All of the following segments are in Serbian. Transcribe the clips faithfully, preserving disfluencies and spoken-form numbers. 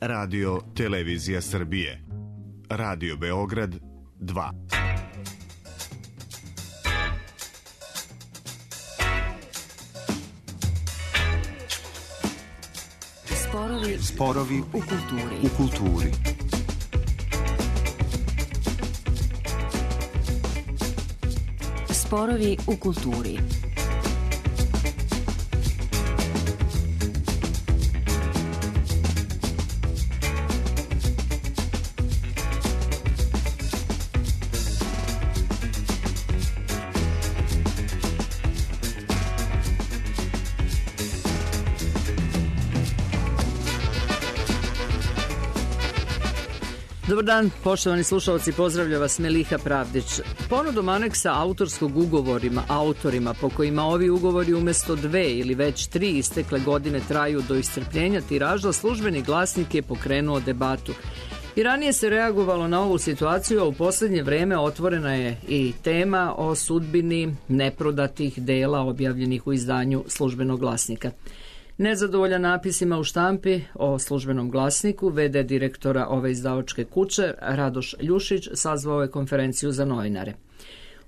Radio Televizija Srbije. Radio Beograd dva. Sporovi, Sporovi u kulturi. U kulturi. Sporovi u kulturi. Dobar dan, poštovani slušalci, pozdravlja vas Meliha Pravdić. Ponudom aneksa autorskog ugovorima autorima po kojima ovi ugovori umesto dve ili već tri istekle godine traju do iscrpljenja tiraža, Službeni glasnik je pokrenuo debatu. I ranije se reagovalo na ovu situaciju, a u poslednje vreme otvorena je i tema o sudbini neprodatih dela objavljenih u izdanju Službenog glasnika. Nezadovoljan napisima u štampi o Službenom glasniku, ve de direktora ove izdavačke kuće, Radoš Ljušić, sazvao je konferenciju za novinare.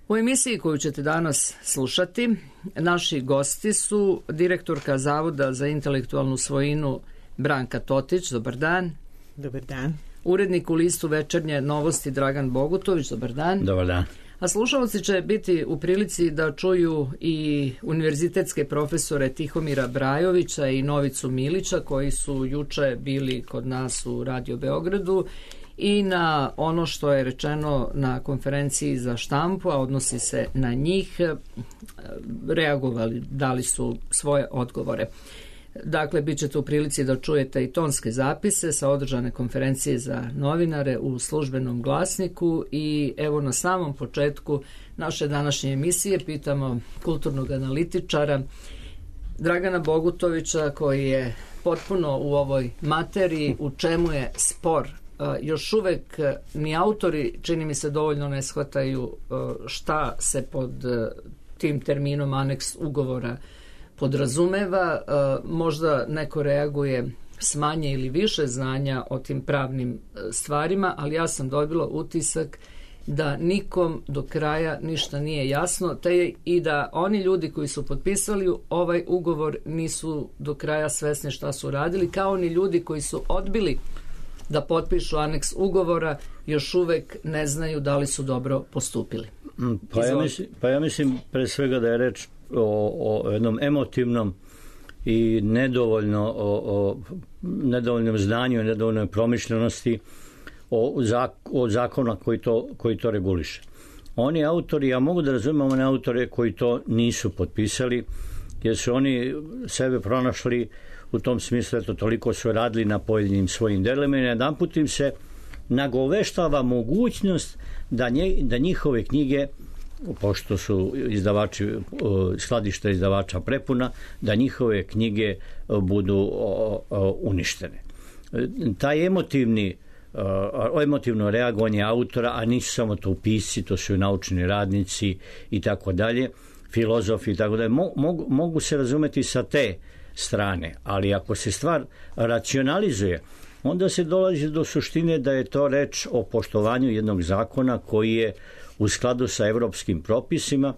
U emisiji koju ćete danas slušati, naši gosti su direktorka Zavoda za intelektualnu svojinu Branka Totić, dobar dan. Dobar dan. Urednik u listu Večernje novosti Dragan Bogutović, dobar dan. Dobar dan. A slušalci će biti u prilici da čuju i univerzitetske profesore Tihomira Brajovića i Novicu Milića, koji su juče bili kod nas u Radio Beogradu, i na ono što je rečeno na konferenciji za štampu, a odnosi se na njih, reagovali, dali su svoje odgovore. Dakle, bit ćete u prilici da čujete i tonske zapise sa održane konferencije za novinare u Službenom glasniku. I evo, na samom početku naše današnje emisije pitamo kulturnog analitičara Dragana Bogutovića, koji je potpuno u ovoj materiji, u čemu je spor. Još uvek ni autori, čini mi se, dovoljno ne shvataju šta se pod tim terminom aneks ugovora podrazumeva. Možda neko reaguje s manje ili više znanja o tim pravnim stvarima, ali ja sam dobila utisak da nikom do kraja ništa nije jasno, te i da oni ljudi koji su potpisali ovaj ugovor nisu do kraja svesni šta su radili, kao ni ljudi koji su odbili da potpišu aneks ugovora još uvek ne znaju da li su dobro postupili. Pa ja, mislim, pa ja mislim pre svega da je reč o, o jednom emotivnom i nedovoljno o, o nedovoljnom znanju i nedovoljnoj promišljenosti o, zak, o zakona koji to, koji to reguliše. Oni autori, ja mogu da razumijem one autore koji to nisu potpisali, jer su oni sebe pronašli u tom smislu, eto, toliko su radili na pojedinim svojim delima i jedan put im se nagoveštava mogućnost da, nje, da njihove knjige, pošto su izdavači, skladišta izdavača prepuna, da njihove knjige budu uništene. Taj emotivni emotivno reagovanje autora, a nisu samo to pisci, to su i naučni radnici i tako dalje, filozofi i tako dalje, mogu, mogu se razumeti sa te strane, ali ako se stvar racionalizuje, onda se dolazi do suštine da je to reč o poštovanju jednog zakona koji je u skladu sa evropskim propisima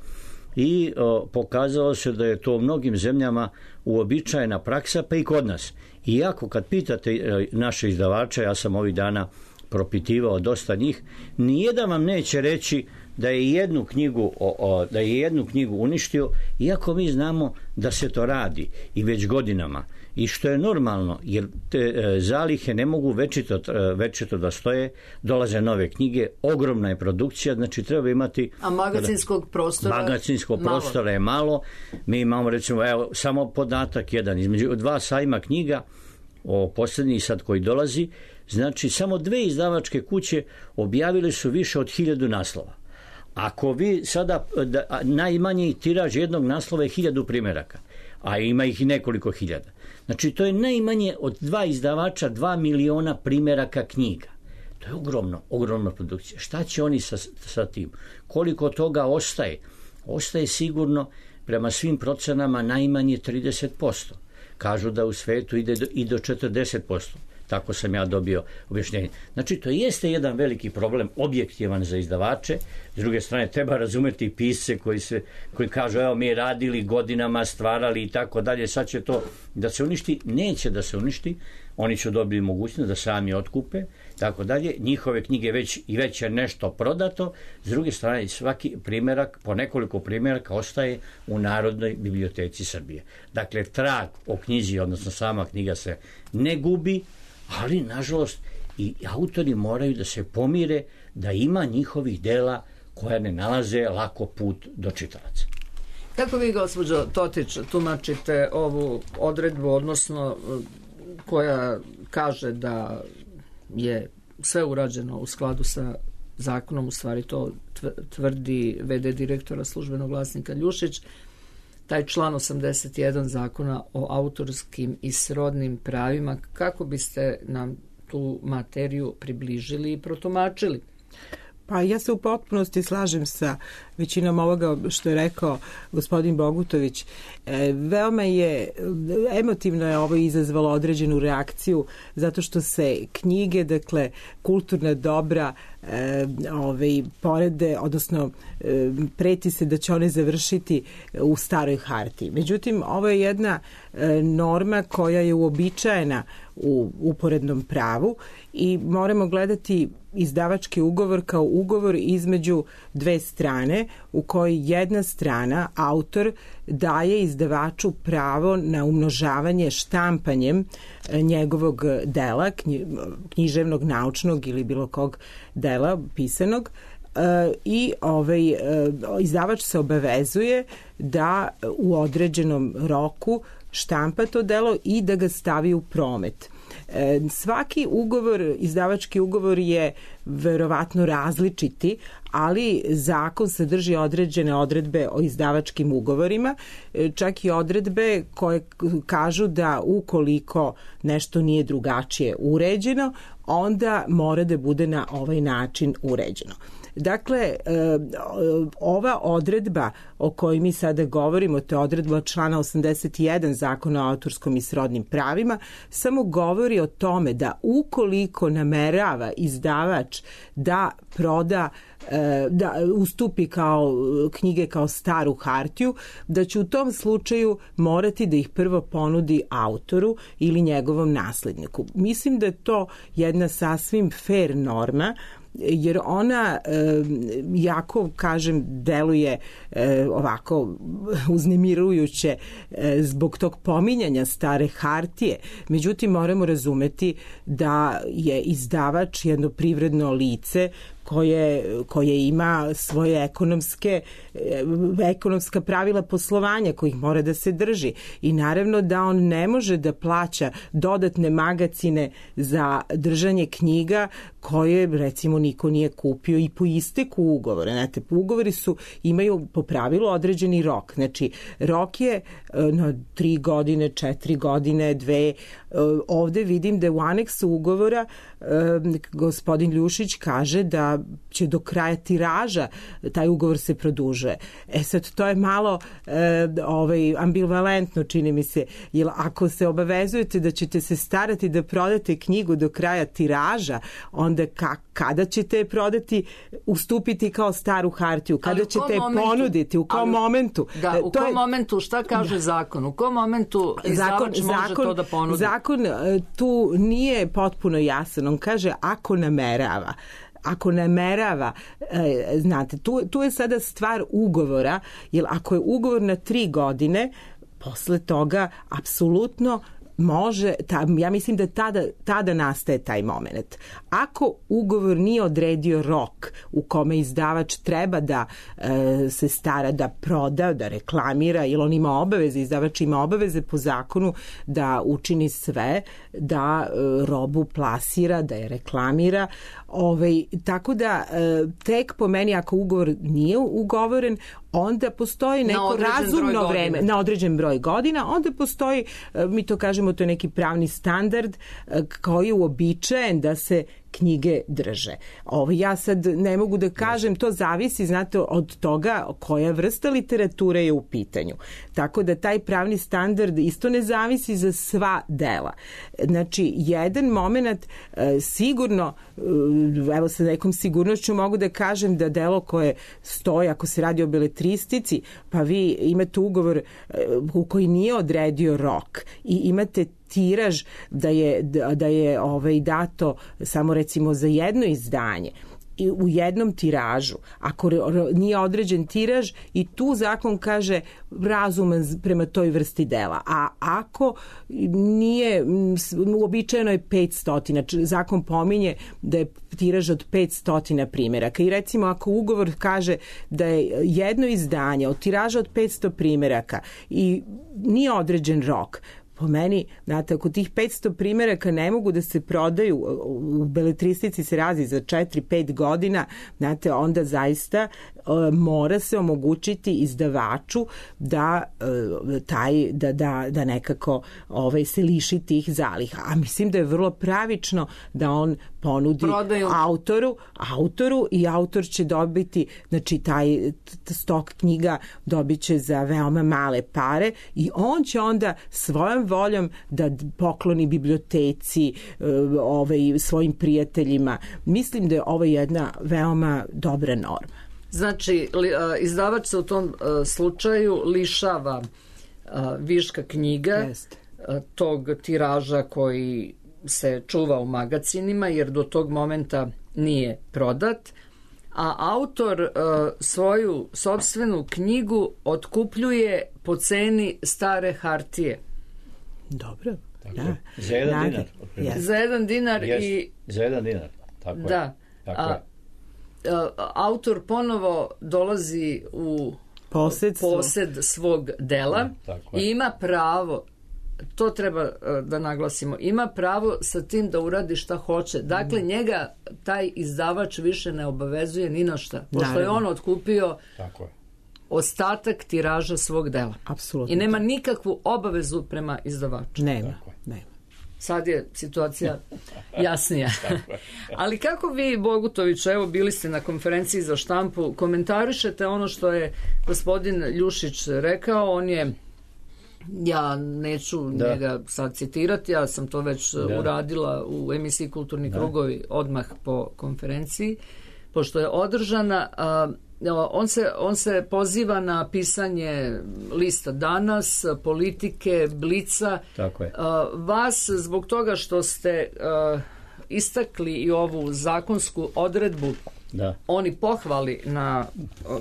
i o, pokazalo se da je to u mnogim zemljama uobičajena praksa, pa i kod nas. Iako kad pitate e, naše izdavače, ja sam ovih dana propitivao dosta njih, nijedan vam neće reći da je jednu knjigu o, o, da je jednu knjigu uništio, iako mi znamo da se to radi i već godinama, i što je normalno, jer te e, zalihe ne mogu večito, e, večito da stoje, dolaze nove knjige, ogromna je produkcija, znači treba imati, a magacinskog prostora magacinskog malo. prostora je malo. Mi imamo, recimo, evo, samo podatak jedan, između dva sajma knjiga, o posljednji sad koji dolazi, znači samo dve izdavačke kuće objavile su više od hiljadu naslova. Ako vi sada, da, najmanji tiraž jednog naslova je hiljadu primjeraka, a ima ih i nekoliko hiljada. Znači to je najmanje od dva izdavača, dva miliona primjeraka knjiga. To je ogromno, ogromna produkcija. Šta će oni sa, sa tim? Koliko toga ostaje? Ostaje sigurno, prema svim procenama, najmanje trideset posto. Kažu da u svetu ide do, i do četrdeset posto. tako sam ja dobio objašnjenje. Znači, to jeste jedan veliki problem, objektivan za izdavače. S druge strane, treba razumeti pisce koji, se, koji kažu, evo, mi radili godinama, stvarali i tako dalje, sad će to da se uništi. Neće da se uništi, oni će dobiti mogućnost da sami otkupe, tako dalje. Njihove knjige već i već je nešto prodato. S druge strane, svaki primjerak, po nekoliko primjeraka ostaje u Narodnoj biblioteci Srbije. Dakle, trag o knjizi, odnosno sama knjiga se ne gubi, ali, nažalost, i autori moraju da se pomire da ima njihovih dela koja ne nalaze lako put do čitalaca. Kako vi, gospođo Totić, tumačite ovu odredbu, odnosno koja kaže da je sve urađeno u skladu sa zakonom, u stvari to tvrdi ve de direktora Službenog glasnika Ljušić, taj član osamdeset jedan zakona o autorskim i srodnim pravima, kako biste nam tu materiju približili i protumačili? Pa ja se u potpunosti slažem sa većinom ovoga što je rekao gospodin Bogutović. E, veoma je, emotivno je ovo izazvalo određenu reakciju, zato što se knjige, dakle, kulturna dobra, e, ove, porede, odnosno e, preti se da će one završiti u staroj hartiji. Međutim, ovo je jedna e, norma koja je uobičajena u uporednom pravu i moramo gledati izdavački ugovor kao ugovor između dve strane u kojoj jedna strana, autor, daje izdavaču pravo na umnožavanje štampanjem njegovog dela, književnog, naučnog ili bilo kog dela pisanog, i ovaj, izdavač se obavezuje da u određenom roku štampa to delo i da ga stavi u promet. Svaki ugovor, izdavački ugovor je verovatno različiti, ali zakon sadrži određene odredbe o izdavačkim ugovorima, čak i odredbe koje kažu da ukoliko nešto nije drugačije uređeno, onda mora da bude na ovaj način uređeno. Dakle, ova odredba o kojoj mi sada govorimo, to je odredba člana osamdeset jedan zakona o autorskom i srodnim pravima, samo govori o tome da ukoliko namerava izdavač da proda, da ustupi kao knjige kao staru hartiju, da će u tom slučaju morati da ih prvo ponudi autoru ili njegovom nasledniku. Mislim da je to jedna sasvim fair norma, jer ona e, jako, kažem, deluje e, ovako uznemirujuće e, zbog tog pominjanja stare hartije. Međutim, moramo razumeti da je izdavač jedno privredno lice koje, koje ima svoje ekonomske, ekonomska pravila poslovanja kojih mora da se drži. I naravno da on ne može da plaća dodatne magacine za držanje knjiga koje, recimo, niko nije kupio i po isteku ugovora. Znate, ugovori su, imaju po pravilu određeni rok. Znači, rok je na tri godine, četiri godine, dve. Ovde vidim da u aneksu ugovora gospodin Ljušić kaže da će do kraja tiraža taj ugovor se produžuje. E sad, to je malo e, ovaj, ambivalentno, čini mi se, jer ako se obavezujete da ćete se starati da prodate knjigu do kraja tiraža, onda ka, kada ćete je prodati, ustupiti kao staru hartiju, kada ćete je ponuditi, u kom ali, momentu? Da, u to kom je, momentu, šta kaže da, zakon? U kom momentu izdavač može zakon, to da ponudi? Zakon tu nije potpuno jasan. On kaže ako namerava. Ako namerava, e, znate, tu, tu je sada stvar ugovora, jer ako je ugovor na tri godine, posle toga apsolutno može, ta, ja mislim da tada, tada nastaje taj moment. Ako ugovor nije odredio rok u kome izdavač treba da e, se stara, da proda, da reklamira, ili on ima obaveze, izdavač ima obaveze po zakonu da učini sve, da e, robu plasira, da je reklamira, ovaj, tako da e, tek po meni ako ugovor nije ugovoren, onda postoji neko razumno vreme, na određen broj godina, onda postoji, mi to kažemo, to je neki pravni standard koji je uobičajen da se knjige drže. Ovo, ja sad ne mogu da kažem, to zavisi, znate, od toga koja vrsta literature je u pitanju. Tako da taj pravni standard isto ne zavisi za sva dela. Znači, jedan moment e, sigurno, e, evo sa nekom sigurnošću mogu da kažem da delo koje stoji, ako se radi o beletristici, pa vi imate ugovor e, u koji nije odredio rok i imate tiraž da je, da je ovaj, dato samo recimo za jedno izdanje i u jednom tiražu, ako nije određen tiraž, i tu zakon kaže razuman prema toj vrsti dela. A ako nije, uobičajeno je petsto, zakon pominje da je tiraž od petsto primjeraka. I recimo ako ugovor kaže da je jedno izdanje od tiraža od petsto primjeraka i nije određen rok, po meni, znate, ako tih petsto primjeraka ne mogu da se prodaju, u beletristici se razi za četiri pet godina, znate, onda zaista e, mora se omogućiti izdavaču da e, taj da, da, da nekako ovaj, se liši tih zaliha. A mislim da je vrlo pravično da on ponudi Prodaju. autoru, autoru i autor će dobiti, znači taj stok knjiga dobit će za veoma male pare i on će onda svojom voljom da pokloni biblioteci, ovaj, svojim prijateljima. Mislim da je ovo jedna veoma dobra norma. Znači, izdavač se u tom slučaju lišava viška knjiga, Jest. tog tiraža koji se čuva u magacinima, jer do tog momenta nije prodat, a autor uh, svoju sopstvenu knjigu otkupljuje po ceni stare hartije. Dobro. Tako da. Za jedan Nade. dinar. Yes. Za jedan dinar yes. i... Za jedan dinar, tako da. je. Tako a, je. A, autor ponovo dolazi u Posedstvo. posed svog dela tako i ima pravo, to treba da naglasimo, ima pravo sa tim da uradi šta hoće. Dakle, mm. njega taj izdavač više ne obavezuje ni na šta, pošto Naravno. je on otkupio Tako je. ostatak tiraža svog dela. Apsolutno. I nema nikakvu obavezu prema izdavaču. Nema, nema. Sad je situacija jasnija. Ali kako vi, Bogutović, evo bili ste na konferenciji za štampu, komentarišete ono što je gospodin Ljušić rekao, on je, ja neću da. njega sad citirati, ja sam to već da. uradila u emisiji Kulturni da. krugovi odmah po konferenciji, pošto je održana, a, On se, on se poziva na pisanje lista Danas, Politike, Blica. Tako je. Vas, zbog toga što ste uh, istakli i ovu zakonsku odredbu, da. oni pohvali na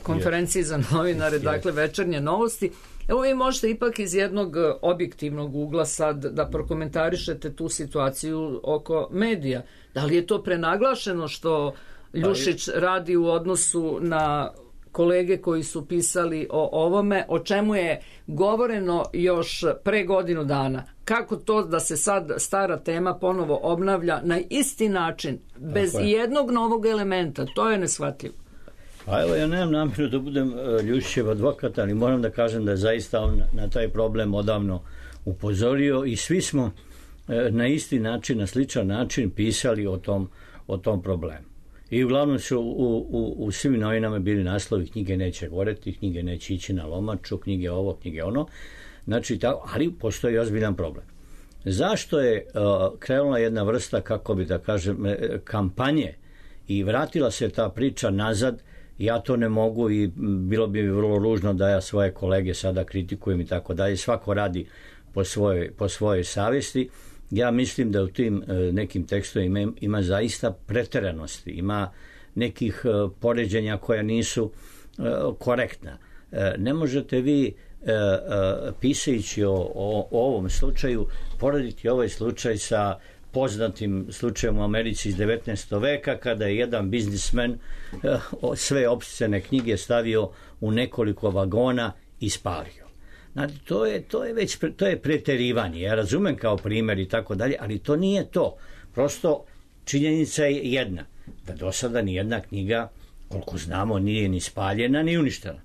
konferenciji yes. za novinare, yes. dakle Večernje novosti. Evo vi možete ipak iz jednog objektivnog ugla sad da prokomentarišete tu situaciju oko medija. Da li je to prenaglašeno što Ljušić radi u odnosu na kolege koji su pisali o ovome, o čemu je govoreno još pre godinu dana? Kako to da se sad stara tema ponovo obnavlja na isti način, bez jednog novog elementa? To je neshvatljivo. Pa evo, ja nemam namjeru da budem Ljušićev advokat, ali moram da kažem da je zaista on na taj problem odavno upozorio i svi smo na isti način, na sličan način pisali o tom, o tom problemu. I uglavnom su u, u, u svim novinama bili naslovi knjige neće goreti, knjige neće ići na lomaču, knjige ovo, knjige ono. Znači, tako, ali postoji ozbiljan problem. Zašto je uh, krenula jedna vrsta, kako bi da kažem, kampanje i vratila se ta priča nazad, ja to ne mogu i bilo bi vrlo ružno da ja svoje kolege sada kritikujem i tako dalje. Svako radi po svojoj, po svojoj savjesti. Ja mislim da u tim e, nekim tekstovima ima, ima zaista preteranosti, ima nekih e, poređenja koja nisu e, korektna. E, ne možete vi e, e, pisajući o, o, o ovom slučaju porediti ovaj slučaj sa poznatim slučajem u Americi iz devetnaestog veka kada je jedan biznismen e, sve opscene knjige stavio u nekoliko vagona i spalio. Znači, to je, to je već to je preterivanje. Ja razumem kao primjer i tako dalje, ali to nije to. Prosto činjenica je jedna, da do sada nijedna knjiga, koliko znamo, nije ni spaljena ni uništena.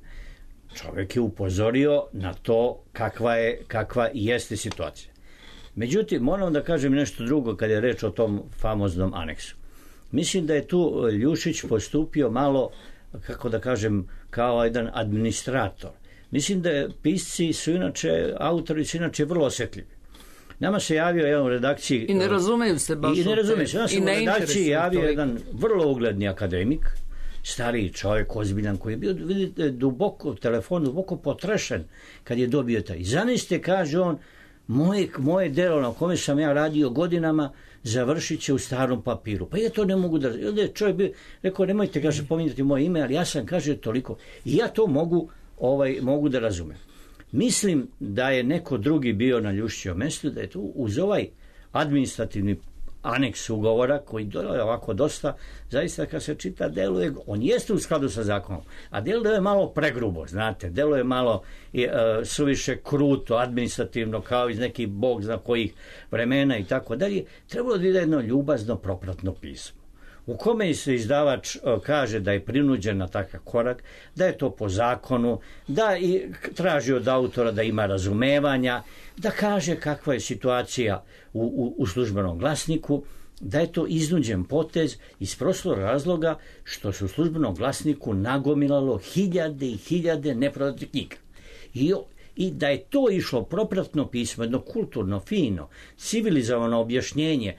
Čovjek je upozorio na to kakva je, kakva jeste situacija. Međutim, moram da kažem nešto drugo kad je reč o tom famoznom aneksu. Mislim da je tu Ljušić postupio malo, kako da kažem, kao jedan administrator. Mislim da je pisci su inače, autori su inače vrlo osjetljivi. Nama se javio jedan u redakciji... I ne razumeju se baš. I ne razumeju se. Nama se u redakciji javio toliko. jedan vrlo ugledni akademik, stariji čovjek, ozbiljan, koji je bio, vidite, duboko, telefon, duboko potrešen kad je dobio taj. I zamislite, kaže on, moje, moje delo na kome sam ja radio godinama završit će u starom papiru. Pa ja to ne mogu da... Čovjek bi rekao, nemojte, kaže, pominjati moje ime, ali ja sam, kaže, toliko. I ja to mogu, ovaj, mogu da razumem. Mislim da je neko drugi bio na Ljušićevom mjestu, da je tu uz ovaj administrativni aneks ugovora, koji je ovako dosta, zaista kad se čita, deluje, on jeste u skladu sa zakonom, a deluje je malo pregrubo, znate, deluje malo e, suviše kruto, administrativno, kao iz nekih bog zna kojih vremena i tako dalje. Trebalo da ide jedno ljubazno propratno pismo, u kome se izdavač kaže da je prinuđen na takav korak, da je to po zakonu, da i traži od autora da ima razumevanja, da kaže kakva je situacija u, u, u službenom glasniku, da je to iznuđen potez iz prostog razloga što se u službenom glasniku nagomilalo hiljade i hiljade neprodatih knjiga. I I da je to išlo propratno pismo, jedno kulturno, fino, civilizovano objašnjenje,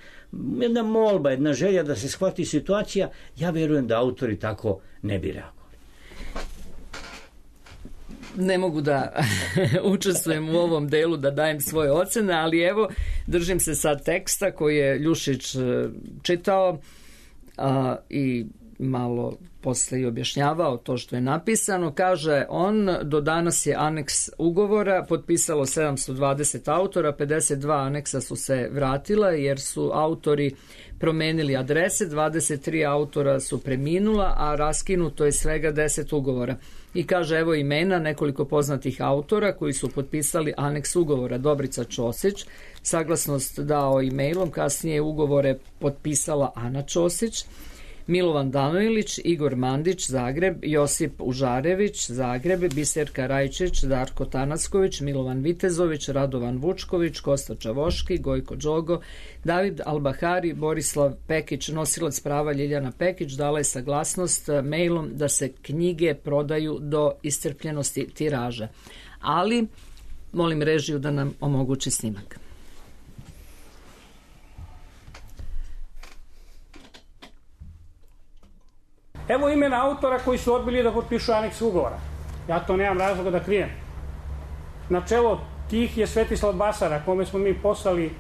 jedna molba, jedna želja da se shvati situacija, ja vjerujem da autori tako ne bi reagovali. Ne mogu da učestvujem u ovom delu, da dajem svoje ocene, ali evo, držim se sad teksta koji je Ljušić čitao a, i malo posle i objašnjavao to što je napisano. Kaže on, do danas je aneks ugovora potpisalo sedamsto dvadeset autora, pedeset dva aneksa su se vratila jer su autori promenili adrese, dvadeset tri autora su preminula, a raskinuto je svega deset ugovora. I kaže, evo imena nekoliko poznatih autora koji su potpisali aneks ugovora. Dobrica Ćosić, saglasnost dao e-mailom, kasnije ugovore potpisala Ana Ćosić, Milovan Danojlić, Igor Mandić, Zagreb, Josip Užarević, Zagreb, Biserka Rajčić, Darko Tanacković, Milovan Vitezović, Radovan Vučković, Kosta Čavoški, Gojko Đogo, David Albahari, Borislav Pekić, nosilac prava Ljiljana Pekić, dala je saglasnost mailom da se knjige prodaju do iscrpljenosti tiraža. Ali, molim režiju da nam omogući snimak. Evo imena autora koji su odbili da potpišu aneks ugovora. Ja to nemam razloga da krijem. Na čelo tih je Svetislav Basara, kome smo mi poslali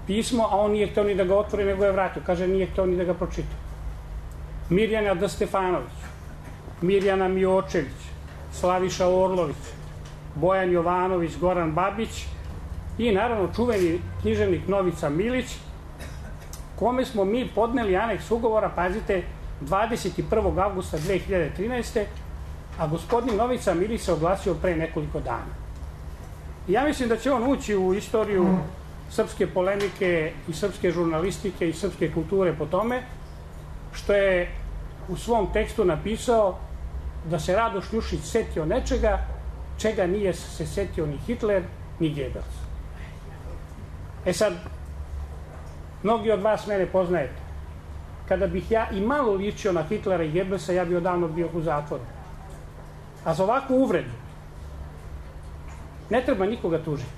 pismo, a on nije hteo ni da ga otvori, nego je vratio. Kaže, nije hteo ni da ga pročita. Mirjana D. Stefanović, Mirjana Miočević, Slaviša Orlović, Bojan Jovanović, Goran Babić i naravno čuveni književnik Novica Milić, kome smo mi podneli aneks ugovora, pazite, dvadeset prvog avgusta dve hiljade trinaeste. a gospodin Novica Milić se oglasio pre nekoliko dana. I ja mislim da će on ući u istoriju srpske polemike i srpske žurnalistike i srpske kulture po tome što je u svom tekstu napisao da se Radoš Ljušić setio nečega čega nije se setio ni Hitler ni Goebbels. E sad, mnogi od vas mene poznajete. Kada bih ja i malo ličio na Hitlera i Goebbelsa, ja bih odavno bio u zatvoru. A za ovakvu uvredu ne treba nikoga tužiti.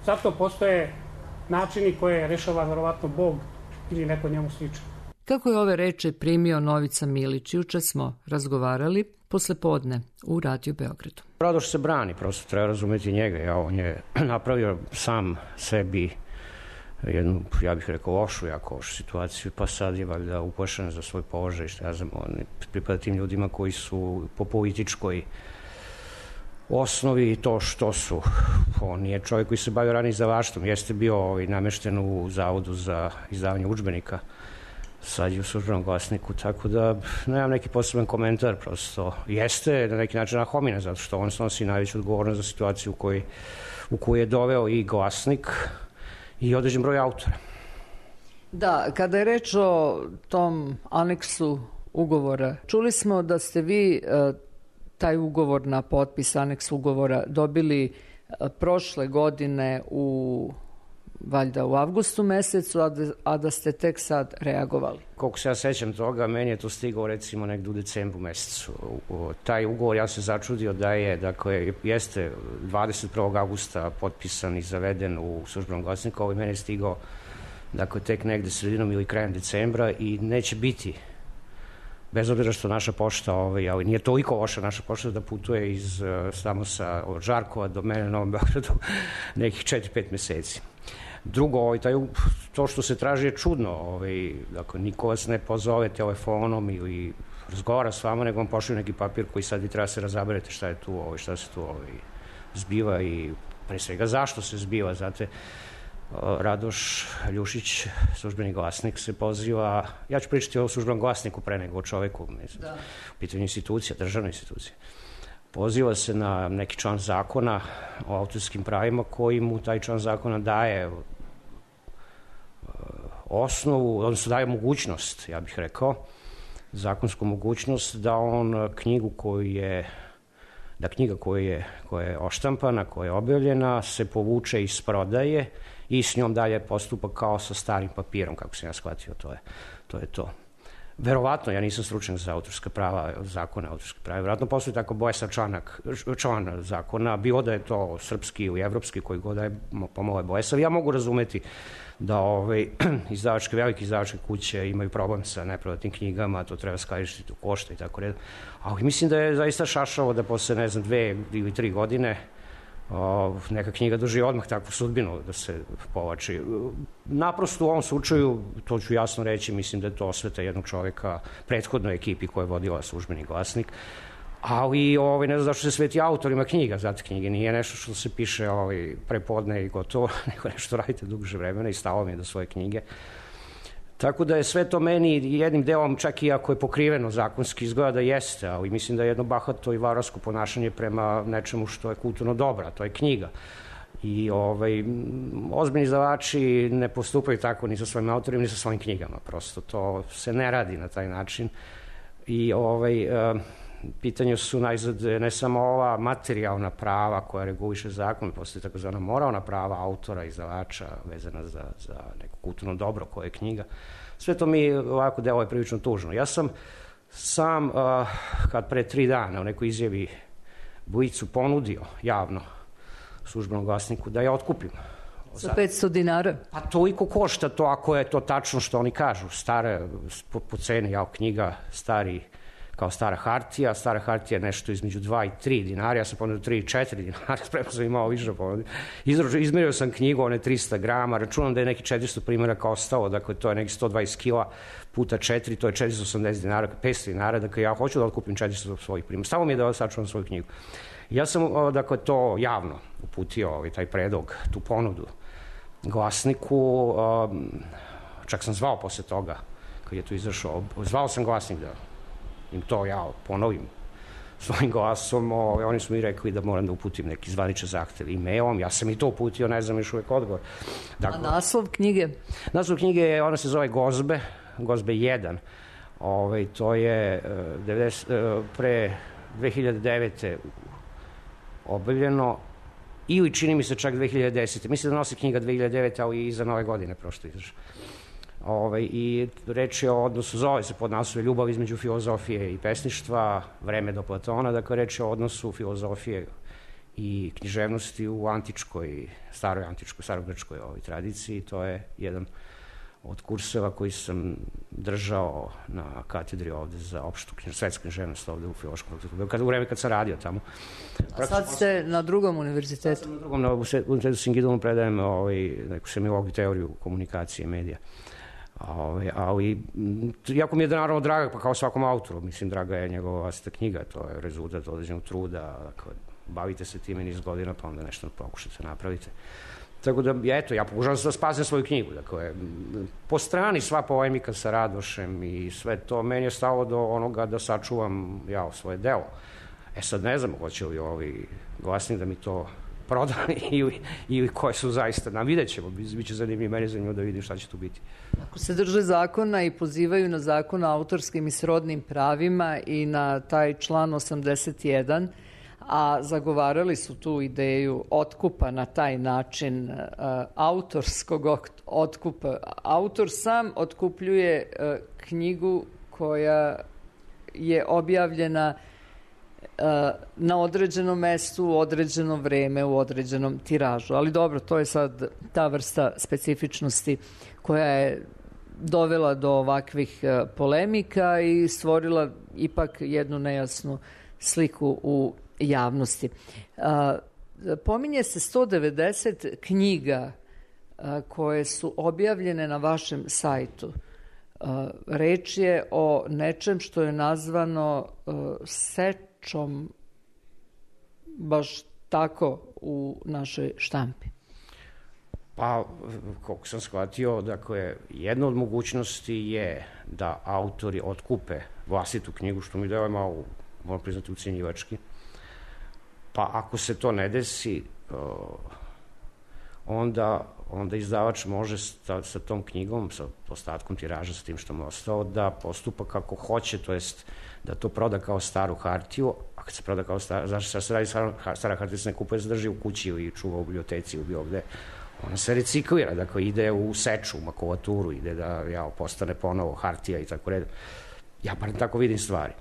Zato postoje načini koje rešava verovatno Bog ili neko njemu slično. Kako je ove reči primio Novica Milić? Juče smo razgovarali posle podne u Radio Beogradu. Radoš se brani, prosto treba razumeti njega. Ja, on je napravio sam sebi jednu, ja bih rekao, lošu, jako lošu situaciju, pa sad je valjda upošten za svoj položaj, što ja znam, on pripada tim ljudima koji su po političkoj osnovi to što su. On je čovjek koji se bavio ranije izdavaštvom, jeste bio ovaj, namešten u Zavodu za izdavanje udžbenika, sad je u službenom glasniku, tako da nemam neki poseban komentar, prosto jeste na neki način nahomina, zato što on snosi najveću odgovornost za situaciju u kojoj, u kojoj je doveo i glasnik i određen broj autora. Da, kada je reč o tom aneksu ugovora, čuli smo da ste vi taj ugovor na potpis, aneks ugovora, dobili prošle godine u valjda u avgustu mesecu, a da, a da ste tek sad reagovali. Koliko se ja sećam toga, meni je to stigao recimo negdje u decembru mesecu. O, taj ugovor, ja se začudio da je, dakle, jeste dvadeset prvog avgusta potpisan i zaveden u Službenom glasniku, ovaj meni je stigao, dakle, tek negde sredinom ili krajem decembra i neće biti, bez obzira što naša pošta, ovaj, ali nije toliko loša naša pošta da putuje iz samo sa od Žarkova do mene na Novom Beogradu nekih četiri pet meseci. Drugo, ovaj, taj, to što se traži je čudno. Ovaj, dakle, niko vas ne pozove telefonom ili razgovara s vama, nego vam pošalju neki papir koji sad vi treba se razaberete šta je tu, ovaj, šta se tu ovaj, zbiva i pre svega zašto se zbiva. Znate, Radoš Ljušić, Službeni glasnik, se poziva, ja ću pričati o Službenom glasniku pre nego o čoveku, mislim, da. U pitanju institucija, državne institucije. Poziva se na neki član zakona o autorskim pravima koji mu taj član zakona daje osnovu, odnosno daje mogućnost, ja bih rekao, zakonsku mogućnost da on knjigu koju je, da knjiga koja je, koja je oštampana, koja je objavljena, se povuče iz prodaje i s njom dalje postupa kao sa starim papirom, kako sam ja shvatio, to je to. Je to. Verovatno, ja nisam stručnjak za autorska prava, zakone autorske prava, verovatno postoji tako bojesan članak, član zakona, bilo da je to srpski ili evropski, koji god da je pomalo je bojesav. Ja mogu razumeti da ovaj, izdavačke, velike izdavačke kuće imaju problem sa neprodatnim knjigama, to treba skladištiti u košta i tako redom. Ali mislim da je zaista šašavo da posle, ne znam, dve ili tri godine O, neka knjiga doživi odmah takvu sudbinu da se povlači. Naprosto u ovom slučaju, to ću jasno reći, mislim da je to osveta jednog čoveka, prethodnoj ekipi koja je vodila Službeni glasnik, ali ovaj, ne znam zašto se sveti autorima knjiga, zato knjige nije nešto što se piše ovaj, prepodne i gotovo, nego nešto radite duže vremena i stalo mi je do svoje knjige. Tako da je sve to meni jednim delom, čak i ako je pokriveno zakonski, izgleda da jeste, ali mislim da je jedno bahato i varvarsko ponašanje prema nečemu što je kulturno dobro, to je knjiga. I ovaj, ozbiljni izdavači ne postupaju tako ni sa svojim autorima, ni sa svojim knjigama. Prosto to se ne radi na taj način. I ovaj, pitanje su najzad ne samo ova materijalna prava koja reguliše zakon, postoji takozvana moralna prava autora, izdavača vezana za, za neko kulturno dobro koje je knjiga. Sve to mi ovako delo je prilično tužno. Ja sam sam, uh, kad pre tri dana u nekoj izjavi Bujicu ponudio javno Službenom glasniku da je otkupim. Za petsto dinara? Pa toliko košta to, ako je to tačno što oni kažu. Stare, po, po ceni, jao, knjiga, stari, kao stara hartija, stara hartija je nešto između dva i tri dinara, ja sam ponudio tri i četiri dinara, spremno sam imao više ponudio. Izmerio sam knjigu, one trista grama, računam da je neki četiristo primjeraka ostalo, dakle to je neki sto dvadeset kila puta četiri, to je četiristo osamdeset dinara, petsto dinara, dakle ja hoću da otkupim četiristo svojih primjera. Samo mi je da sačuvam svoju knjigu. Ja sam, dakle, to javno uputio, ovaj, taj predlog, tu ponudu glasniku, čak sam zvao posle toga, kad je tu izašao, zvao sam glasnik da im to ja ponovim svojim glasom, o, oni su mi rekli da moram da uputim neki zvaničan zahtev e-mailom, ja sam i to uputio, ne znam još uvek odgovor. Dakle, a naslov knjige? Naslov knjige, ona se zove Gozbe, Gozbe jedan, ovaj, to je devedeset, pre dve hiljade devete objavljeno, ili čini mi se čak dve hiljade desete. Mislim da nosi knjiga dve hiljade devete, ali i za nove godine prošlo izašlo. Ovaj, i reč je o odnosu, zove se pod naslovom Ljubav između filozofije i pesništva, Vreme do Platona, dakle reč je o odnosu filozofije i književnosti u antičkoj, staroj antičkoj, starogrčkoj ovoj tradiciji. To je jedan od kurseva koji sam držao na katedri ovde za opštu svetsku književnost ovde u Filološkom fakultetu, kad, u vreme kad sam radio tamo. A sad ste na drugom univerzitetu? Sad sam na drugom, na univerzitetu Singidonu predajem ovaj, neku semilogiju teoriju komunikacije i medija. Ovaj, ali jako mi je naravno draga, pa kao svakom autoru, mislim, draga je njegova vlastita knjiga, to je rezultat određenog truda, dakle, bavite se time niz godina, pa onda nešto pokušate napravite. Tako da, eto, ja pokušavam da spazim svoju knjigu, dakle, po strani sva polemika sa Radošem i sve to, meni je stalo do onoga da sačuvam, ja, svoje delo. E sad ne znam, hoće li ovi glasnik da mi to proda ili, ili koje su zaista, nam vidjet ćemo, bit će zanimljivo, meni je zanimljivo da vidim šta će tu biti. Ako se drže zakona i pozivaju na zakon o autorskim i srodnim pravima i na taj član osamdeset jedan, a zagovarali su tu ideju otkupa na taj način, autorskog otkupa. Autor sam otkupljuje knjigu koja je objavljena na određenom mestu, u određeno vreme, u određenom tiražu. Ali dobro, to je sad ta vrsta specifičnosti koja je dovela do ovakvih polemika i stvorila ipak jednu nejasnu sliku u javnosti. Pominje se sto devedeset knjiga koje su objavljene na vašem sajtu. Reč je o nečem što je nazvano sečom, baš tako u našoj štampi. Pa, koliko sam shvatio, dakle, jedna od mogućnosti je da autori otkupe vlastitu knjigu, što mi delo malo, moram priznati, ucenjivački. Pa ako se to ne desi, onda, onda izdavač može sa, sa tom knjigom, sa ostatkom tiraža, sa tim što mu je ostao, da postupa kako hoće, to jest da to proda kao staru hartiju, a kad se proda kao stara, zašto se radi stara hartija, se ne kupuje, se drži u kući i čuva u biblioteci ili bilo gde, ona se reciklira, dakle ide u seču, u makulaturu, ide da ja, postane ponovo hartija i tako redom. Ja bar tako vidim stvari.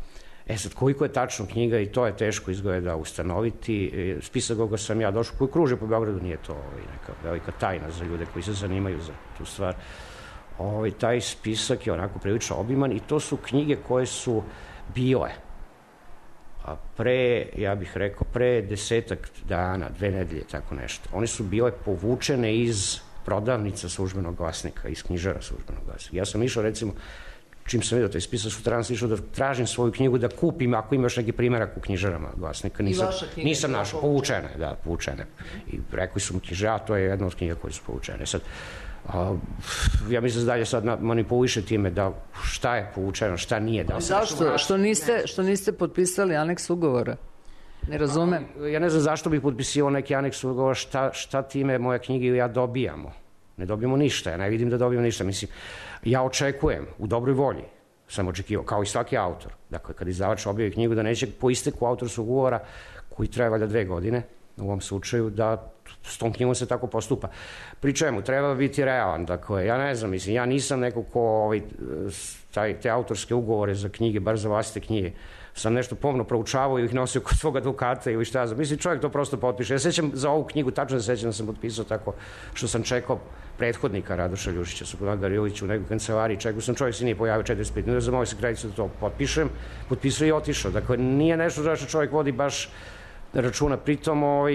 E sad, koliko je tačno knjiga, i to je teško izgleda ustanoviti. Spisak koga sam ja došao, koji kruže po Beogradu, nije to ovaj, neka velika tajna za ljude koji se zanimaju za tu stvar. Ovaj, taj spisak je onako prilično obiman i to su knjige koje su bile a pre, ja bih rekao, pre desetak dana, dve nedelje, tako nešto. One su bile povučene iz prodavnica Službenog glasnika, iz knjižara Službenog glasnika. Ja sam išao, recimo, čim sam vidio taj spisak, sutra sam išao da tražim svoju knjigu, da kupim, ako ima još neki primjerak u knjižarama glasnika. Nisam, nisam našao, povučene, da, povučene. I rekli su mi knjižara, to je jedna od knjiga koje su povučene. Sad, a, ja mislim da dalje sad manipuliše time da šta je povučeno, šta nije. Da zašto? Što niste, što niste potpisali aneks ugovora? Ne razumem. A, ja ne znam zašto bih potpisio neki aneks ugovora, šta, šta time moje knjige ili ja dobijamo. Ne dobijemo ništa, ja ne vidim da dobijemo ništa. Mislim, ja očekujem, u dobroj volji sam očekivao, kao i svaki autor. Dakle, kad izdavač objavi knjigu, da neće po isteku autorskog ugovora, koji traje valjda dve godine, u ovom slučaju, da s tom knjigom se tako postupa. Pri čemu, treba biti realan. Dakle, ja ne znam, mislim, ja nisam neko ko ovaj, taj, te autorske ugovore za knjige, bar za vlastite knjige, sam nešto pomno proučavao i ih nosio kod svog advokata ili šta znam. Mislim, čovjek to prosto potpiše. Ja sećam za ovu knjigu, tačno se sećam da sam potpisao tako što sam čekao prethodnika Radoša Ljušića, Sokolan Garilića u nekoj kancelariji, čekao sam, čovjek se nije pojavio četrdeset pet minuta, zamolio se kraljicu da to potpišem, potpisao i otišao. Dakle, nije nešto za što čovjek vodi baš računa. Pritom, ovaj,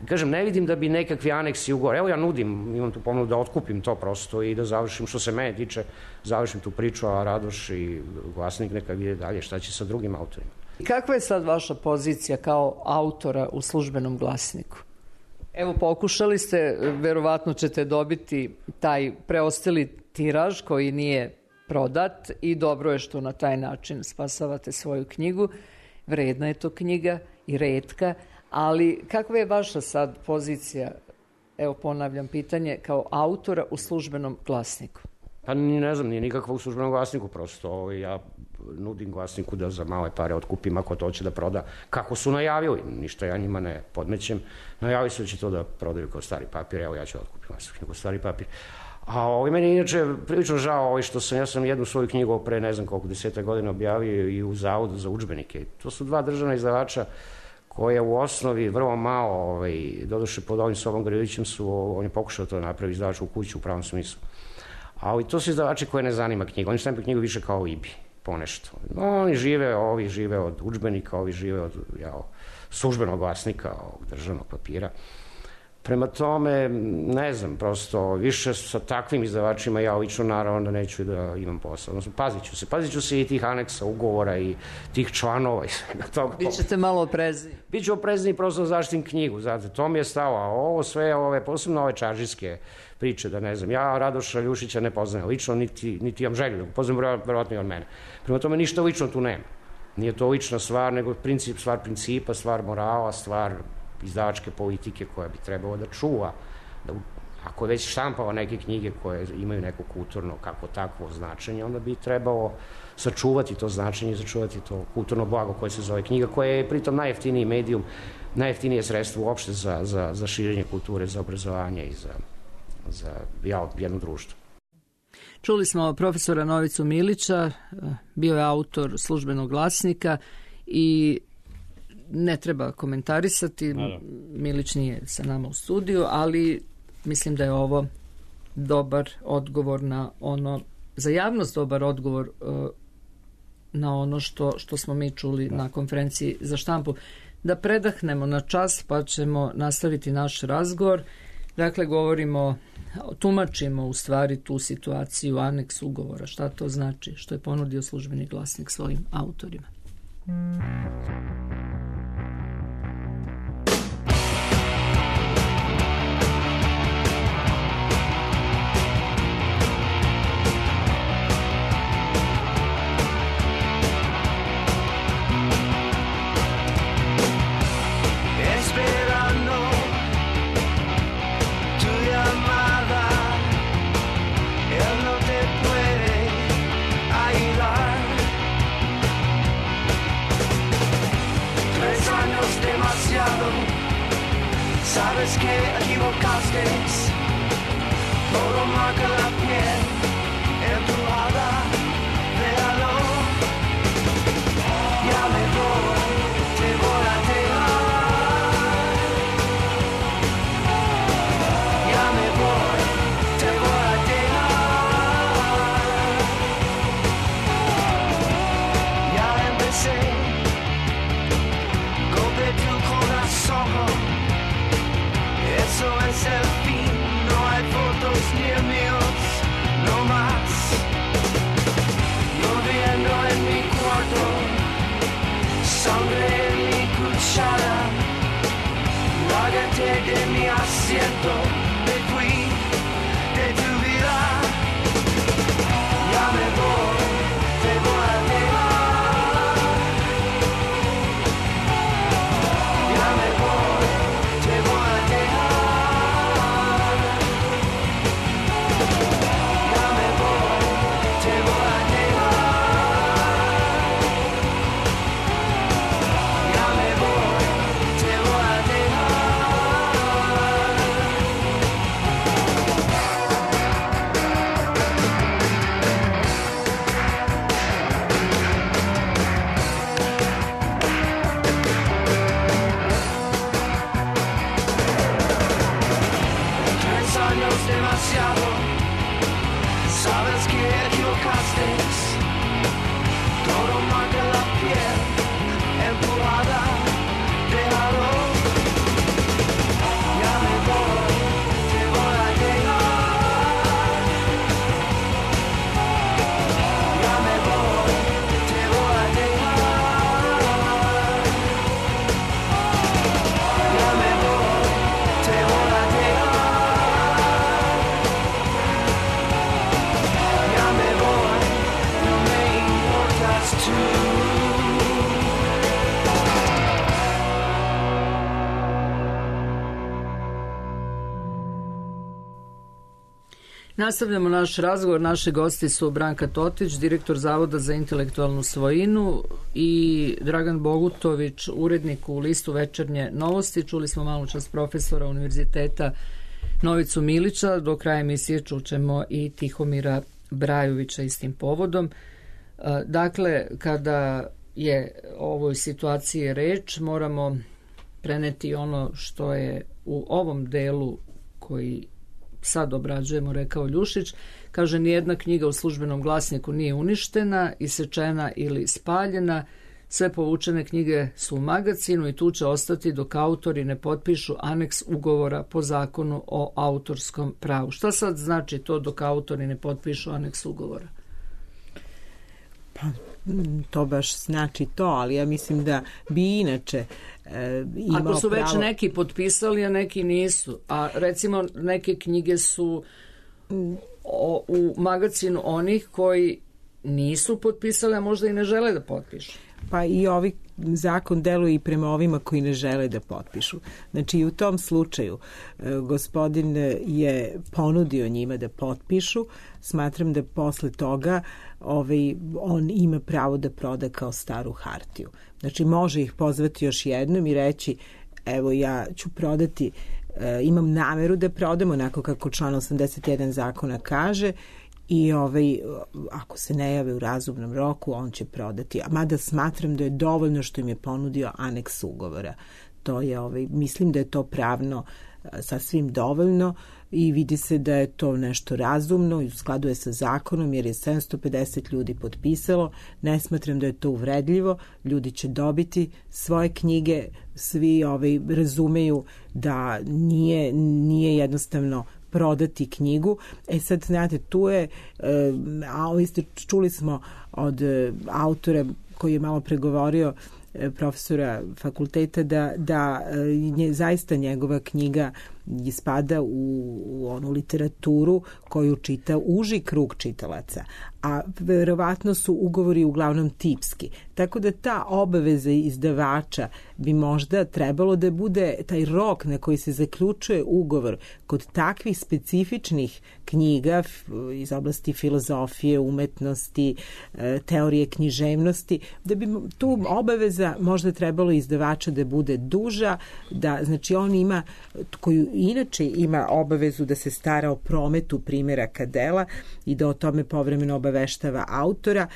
kažem, ne vidim da bi nekakvi aneksi ugovor. Evo ja nudim, imam tu ponudu da otkupim to prosto i da završim, što se mene tiče, završim tu priču, a Radoš i glasnik neka vide dalje šta će sa drugim autorima. Kakva je sad vaša pozicija kao autora u Službenom glasniku? Evo, pokušali ste, verovatno ćete dobiti taj preostali tiraž koji nije prodat i dobro je što na taj način spasavate svoju knjigu. Vredna je to knjiga i retka, ali kakva je vaša sad pozicija, evo ponavljam pitanje, kao autora u Službenom glasniku? Pa ne znam, nije nikakva u Službenom glasniku, prosto ja nudim glasniku da za male pare otkupim ako to će da proda, kako su najavili, ništa ja njima ne podmećem, najavili su da će to da prodaju kao stari papir, evo ja ću da otkupim vašu knjigu stari papir. A ovaj, meni je inače prilično žao ovaj, što sam, ja sam jednu svoju knjigu pre ne znam koliko deseta godina objavio i u Zavodu za udžbenike. To su dva državna izdavača koje u osnovi vrlo malo, ovaj, doduše pod ovim Sobom Garilićem su, on je pokušao to napravi izdavač u kuću u pravom smislu. Ali to su izdavači koje ne zanima knjiga, oni štampe knjigu više kao Ibi, ponešto. Oni žive, ovi žive od udžbenika, ovi žive od ja, službenog glasnika, ovog državnog papira. Prema tome, ne znam, prosto više sa takvim izdavačima ja lično naravno da neću da imam posao. Odnosno, pazit ću se. Pazit ću se i tih aneksa, ugovora i tih članova i svega toga. Bićete malo oprezni. Biću oprezni prosto zaštitim knjigu, znate, to mi je stalo. A ovo sve, ove, posebno ove čaržijske priče, da ne znam, ja Radoša Ljušića ne poznajem lično, niti, niti imam želju da ga poznajem, verovatno i on mene. Prema tome, ništa lično tu nema. Nije to lična stvar, nego princip, stvar principa, stvar morala, stvar izdavačke politike koja bi trebalo da čuva, da ako je već štampao neke knjige koje imaju neko kulturno, kako takvo značenje, onda bi trebalo sačuvati to značenje i sačuvati to kulturno blago koje se zove knjiga, koje je pritom najjeftiniji medijum, najjeftinije sredstvo uopšte za, za, za širenje kulture, za obrazovanje i za, za ja, jedno društvo. Čuli smo profesora Novicu Milića, bio je autor Službenog glasnika i ne treba komentarisati, Milić nije sa nama u studiju, ali mislim da je ovo dobar odgovor na ono, za javnost dobar odgovor uh, na ono što, što smo mi čuli da. na konferenciji za štampu. Da predahnemo na čas pa ćemo nastaviti naš razgovor. Dakle, govorimo, tumačimo u stvari tu situaciju, aneks ugovora, šta to znači, što je ponudio Službeni glasnik svojim autorima. Sabes que equivocaste, todo marca la piel embrujada, déjalo, ya me voy, te voy a dejar, ya me voy, te voy a dejar, ya empecé, golpe tu corazón. Eso es el fin, no hay fotos ni míos, no más. Lloviendo en mi cuarto, sangre en mi cuchara. Lárgate de mi asiento, me fui de tu vida. Ya me voy, te voy a dejar. Ya me voy, te voy a dejar. Sabes que equivocaste, todo marca la piel empujada, déjalo, ya me voy, te voy a dejar, ya me voy, te voy a dejar, ya me voy, te voy a dejar. Nastavljamo naš razgovor. Naši gosti su Branka Totić, direktor Zavoda za intelektualnu svojinu, i Dragan Bogutović, urednik u listu Večernje novosti. Čuli smo malo čas profesora Univerziteta Novicu Milića. Do kraja emisije čućemo i Tihomira Brajovića istim povodom. Dakle, kada je o ovoj situaciji reč, moramo preneti ono što je u ovom delu koji sad obrađujemo rekao Ljušić. Kaže, nijedna knjiga u Službenom glasniku nije uništena, isečena ili spaljena. Sve povučene knjige su u magacinu i tu će ostati dok autori ne potpišu aneks ugovora po zakonu o autorskom pravu. Šta sad znači to dok autori ne potpišu aneks ugovora? Pa, to baš znači to, ali ja mislim da bi inače e, imao Ako su već pravo... neki potpisali, a neki nisu, a recimo neke knjige su o, u magacinu onih koji nisu potpisali, a možda i ne žele da potpišu. Pa i ovi zakon deluje i prema ovima koji ne žele da potpišu. Znači i u tom slučaju gospodin je ponudio njima da potpišu. Smatram da posle toga ovaj, on ima pravo da proda kao staru hartiju. Znači može ih pozvati još jednom i reći evo ja ću prodati, imam nameru da prodam onako kako član osamdeset jedan zakona kaže i ovaj, ako se ne jave u razumnom roku on će prodati. Mada smatram da je dovoljno što im je ponudio aneks ugovora. To je, ovaj, mislim da je to pravno sasvim dovoljno i vidi se da je to nešto razumno i u skladu je sa zakonom jer je sedamsto pedeset ljudi potpisalo. Ne smatram da je to uvredljivo. Ljudi će dobiti svoje knjige, svi ovaj, razumeju da nije, nije jednostavno prodati knjigu. E sad, znate, tu je, a vi ste čuli smo od autora koji je malo pregovorio, profesora fakulteta, da, da je zaista njegova knjiga spada u, u onu literaturu koju čita uži krug čitalaca, a verovatno su ugovori uglavnom tipski. Tako da ta obaveza izdavača bi možda trebalo da bude taj rok na koji se zaključuje ugovor kod takvih specifičnih knjiga iz oblasti filozofije, umetnosti, teorije književnosti, da bi tu obaveza možda trebalo izdavača da bude duža, da znači on ima, koju inače ima obavezu da se stara o prometu primjeraka dela i da o tome povremeno obaveštava autora,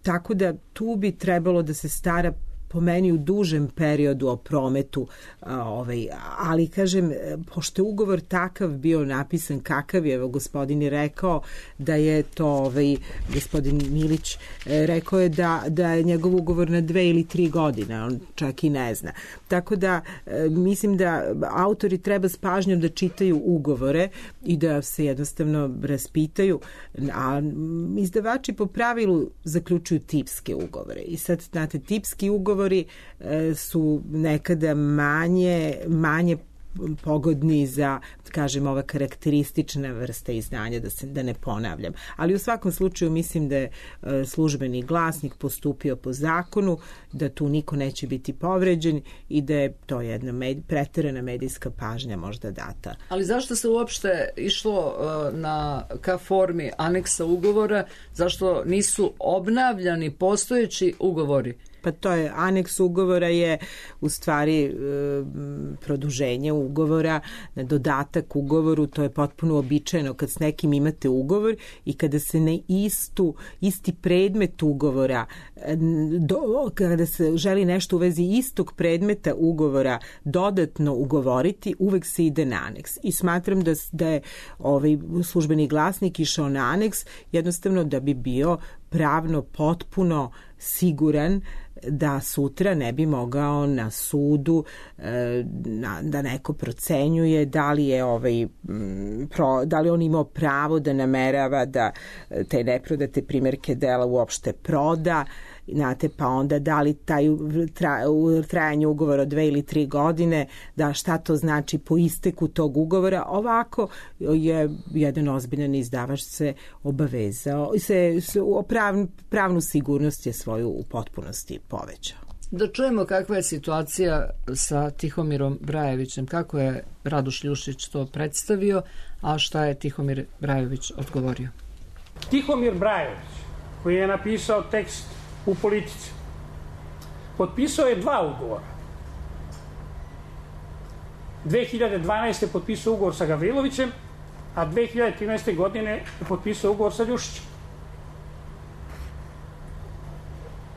tako da tu bi trebalo da se stara po meni u dužem periodu o prometu, ovaj, ali kažem, pošto je ugovor takav bio napisan kakav je, evo gospodin je rekao da je to, ovaj, gospodin Milić rekao je da, da je njegov ugovor na dve ili tri godine, on čak i ne zna. Tako da mislim da autori treba s pažnjom da čitaju ugovore i da se jednostavno raspitaju, a izdavači po pravilu zaključuju tipske ugovore. I sad, znate, tipski ugovor su nekada manje, manje pogodni za, kažem, ova karakteristična vrsta izdanja, da se da ne ponavljam. Ali u svakom slučaju mislim da je službeni glasnik postupio po zakonu, da tu niko neće biti povređen i da je to jedna med, preterana medijska pažnja možda data. Ali zašto se uopšte išlo na, ka formi aneksa ugovora? Zašto nisu obnavljani postojeći ugovori? Pa to je, aneks ugovora je u stvari e, produženje ugovora, dodatak ugovoru, to je potpuno običajno kad s nekim imate ugovor i kada se na istu, isti predmet ugovora, do, kada se želi nešto u vezi istog predmeta ugovora dodatno ugovoriti, uvek se ide na aneks. I smatram da, da je ovaj službeni glasnik išao na aneks jednostavno da bi bio pravno potpuno siguran da sutra ne bi mogao na sudu e, na, da neko procenjuje da li je ovaj pro, da li on imao pravo da namerava da te neprodate primjerke dela uopšte proda, znate, pa onda da li taj tra, trajanje ugovora od dve ili tri godine, da šta to znači po isteku tog ugovora. Ovako je jedan ozbiljan izdavač se obavezao, se, se prav, pravnu sigurnost je svoju u potpunosti povećao. Da čujemo kakva je situacija sa Tihomirom Brajevićem, kako je Radoš Ljušić to predstavio, a šta je Tihomir Brajević odgovorio. Tihomir Brajević, koji je napisao tekst u Politici, potpisao je dva ugovora. dve hiljade dvanaeste. je potpisao ugovor sa Gavrilovićem, a dve hiljade trinaeste. godine je potpisao ugovor sa Ljušićem.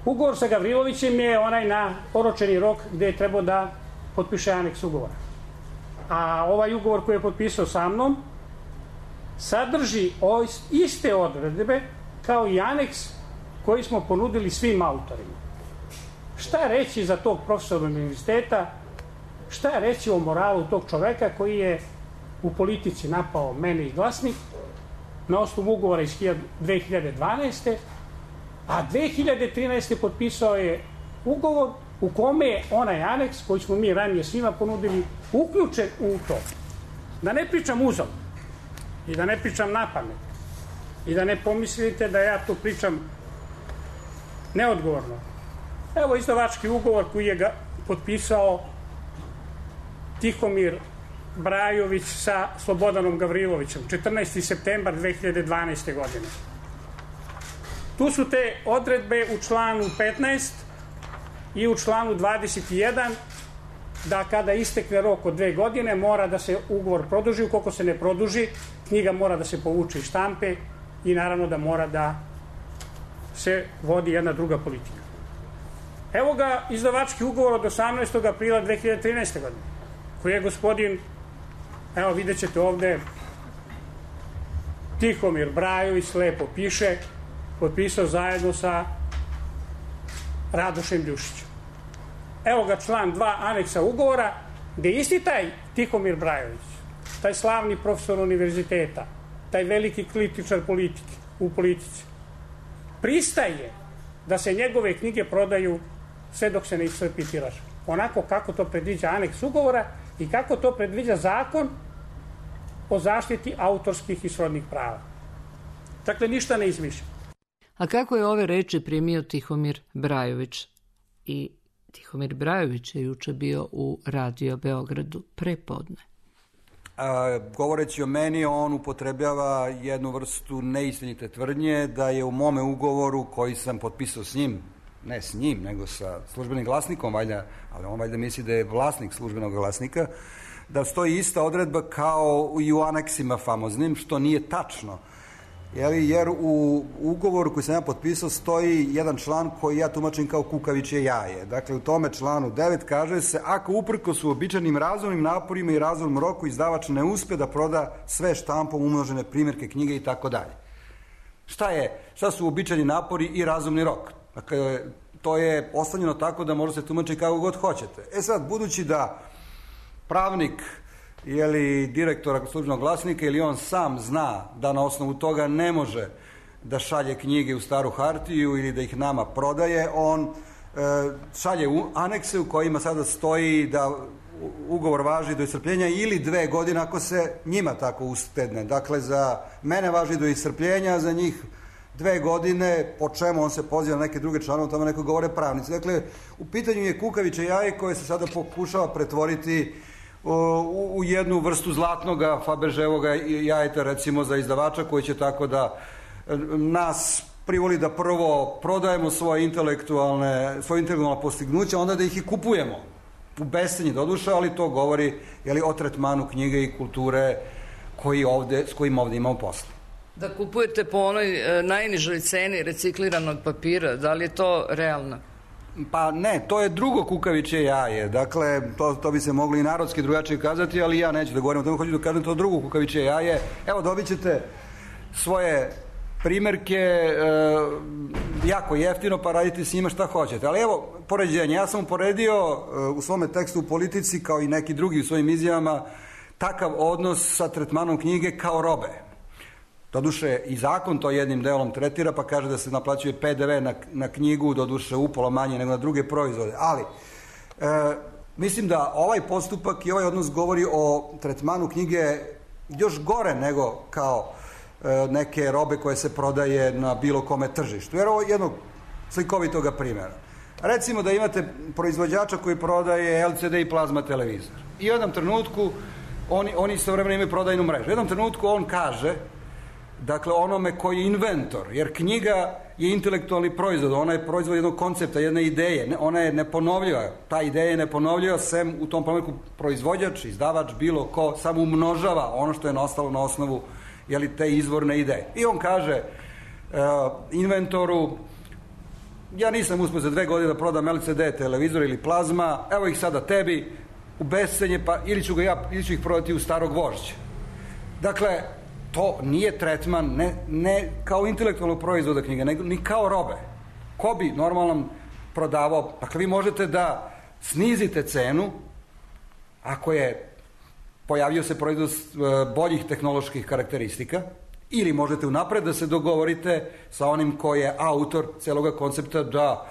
Ugovor sa Gavrilovićem je onaj na oročeni rok gde je trebao da potpiše aneks ugovora. A ovaj ugovor koji je potpisao sa mnom sadrži iste odredbe kao i aneks koji smo ponudili svim autorima. Šta reći za tog profesora univerziteta, šta reći o moralu tog čoveka koji je u Politici napao mene i Glasnik na osnovu ugovora iz dve hiljade dvanaeste. a dve hiljade trinaeste. potpisao je ugovor u kome je onaj aneks koji smo mi ranije svima ponudili uključen u to. Da ne pričam uzom i da ne pričam napamet i da ne pomislite da ja to pričam neodgovorno. Evo izdavački ugovor koji je ga potpisao Tihomir Brajović sa Slobodanom Gavrilovićem, četrnaesti septembar dve hiljade dvanaeste. godine. Tu su te odredbe u članu petnaest i u članu dvadeset jedan, da kada istekne rok od dve godine mora da se ugovor produži, ukoliko se ne produži, knjiga mora da se povuče iz štampe i naravno da mora da se vodi jedna druga politika. Evo ga izdavački ugovor od osamnaestog aprila dve hiljade trinaeste. godine, koji je gospodin, evo vidjet ćete ovde, Tihomir Brajović, lepo piše, potpisao zajedno sa Radošem Ljušićem. Evo ga član dva aneksa ugovora, gde isti taj Tihomir Brajović, taj slavni profesor univerziteta, taj veliki kritičar politike, u politici, pristaje da se njegove knjige prodaju sve dok se ne iscrpi tiraž. Onako kako to predviđa aneks ugovora i kako to predviđa zakon o zaštiti autorskih i srodnih prava. Dakle, ništa ne izmišlja. A kako je ove reči primio Tihomir Brajović? I Tihomir Brajović je juče bio u Radio Beogradu prepodne. A, govoreći o meni, on upotrebljava jednu vrstu neistinite tvrdnje da je u mome ugovoru koji sam potpisao s njim, ne s njim, nego sa Službenim glasnikom, valjda, ali on valjda misli da je vlasnik Službenog glasnika, da stoji ista odredba kao i u aneksima famoznim, što nije tačno. Jer u ugovoru koji sam ja potpisao stoji jedan član koji ja tumačim kao kukavičje jaje. Dakle, u tome članu devet kaže se: ako uprkos uobičajenim razumnim naporima i razumnom roku izdavač ne uspe da proda sve štampom umnožene primjerke knjige i tako dalje. Šta je? Šta su uobičajeni napori i razumni rok? Dakle, to je ostavljeno tako da može se tumačiti kako god hoćete. E sad, budući da pravnik ili direktora Službenog glasnika ili on sam zna da na osnovu toga ne može da šalje knjige u staru hartiju ili da ih nama prodaje, on e, šalje u anekse u kojima sada stoji da ugovor važi do iscrpljenja ili dve godine ako se njima tako ustedne. Dakle, za mene važi do iscrpljenja, za njih dve godine, po čemu on se poziva na neke druge članove, o tome neko govore pravnici. Dakle, u pitanju je kukaviče jaje koje se sada pokušava pretvoriti U, u jednu vrstu zlatnoga Faberževoga jajeta, recimo, za izdavača koji će tako da nas privoli da prvo prodajemo svoje intelektualne, svoje intelektualne postignuća, onda da ih i kupujemo u bescenje doduša, ali to govori, jeli, o tretmanu knjige i kulture koji ovde, s kojim ovde imamo posla. Da kupujete po onoj e, najnižoj ceni recikliranog papira, da li je to realno? Pa ne, to je drugo kukavičje jaje. Dakle, to, to bi se moglo i narodski drugačije kazati, ali ja neću da govorim o tome, hoću da kažem to drugo kukavičje jaje. Evo, dobit ćete svoje primjerke e, jako jeftino, pa radite s njima šta hoćete. Ali evo, poređenje. Ja sam uporedio e, u svome tekstu u Politici, kao i neki drugi u svojim izjavama, takav odnos sa tretmanom knjige kao robe. Doduše, i zakon to jednim delom tretira, pa kaže da se naplaćuje pe de ve na, na knjigu, doduše upola manje nego na druge proizvode. Ali, e, mislim da ovaj postupak i ovaj odnos govori o tretmanu knjige još gore nego kao e, neke robe koje se prodaje na bilo kome tržištu. Jer ovo je jednog slikovitoga primjera. Recimo da imate proizvođača koji prodaje el ce de i plazma televizor. I u jednom trenutku, oni, oni istovremeno imaju prodajnu mrežu. U jednom trenutku on kaže, dakle, onome koji je inventor, jer knjiga je intelektualni proizvod, ona je proizvod jednog koncepta, jedne ideje, ona je neponovljiva, ta ideja je neponovljiva, sem u tom primjeru proizvođač, izdavač, bilo ko, samo umnožava ono što je nastalo na osnovu, jeli, te izvorne ideje. I on kaže uh, inventoru: ja nisam uspio za dve godine da prodam el ce de televizor ili plazma, evo ih sada tebi u bescenje, pa ili ću, ga ja, ili ću ih prodati u starog vožđa. Dakle, to nije tretman, ne, ne kao intelektualnog proizvoda knjige, nego ni kao robe. Ko bi normalno prodavao? Dakle, vi možete da snizite cenu ako je pojavio se proizvod boljih tehnoloških karakteristika, ili možete unapred da se dogovorite sa onim koji je autor celoga koncepta da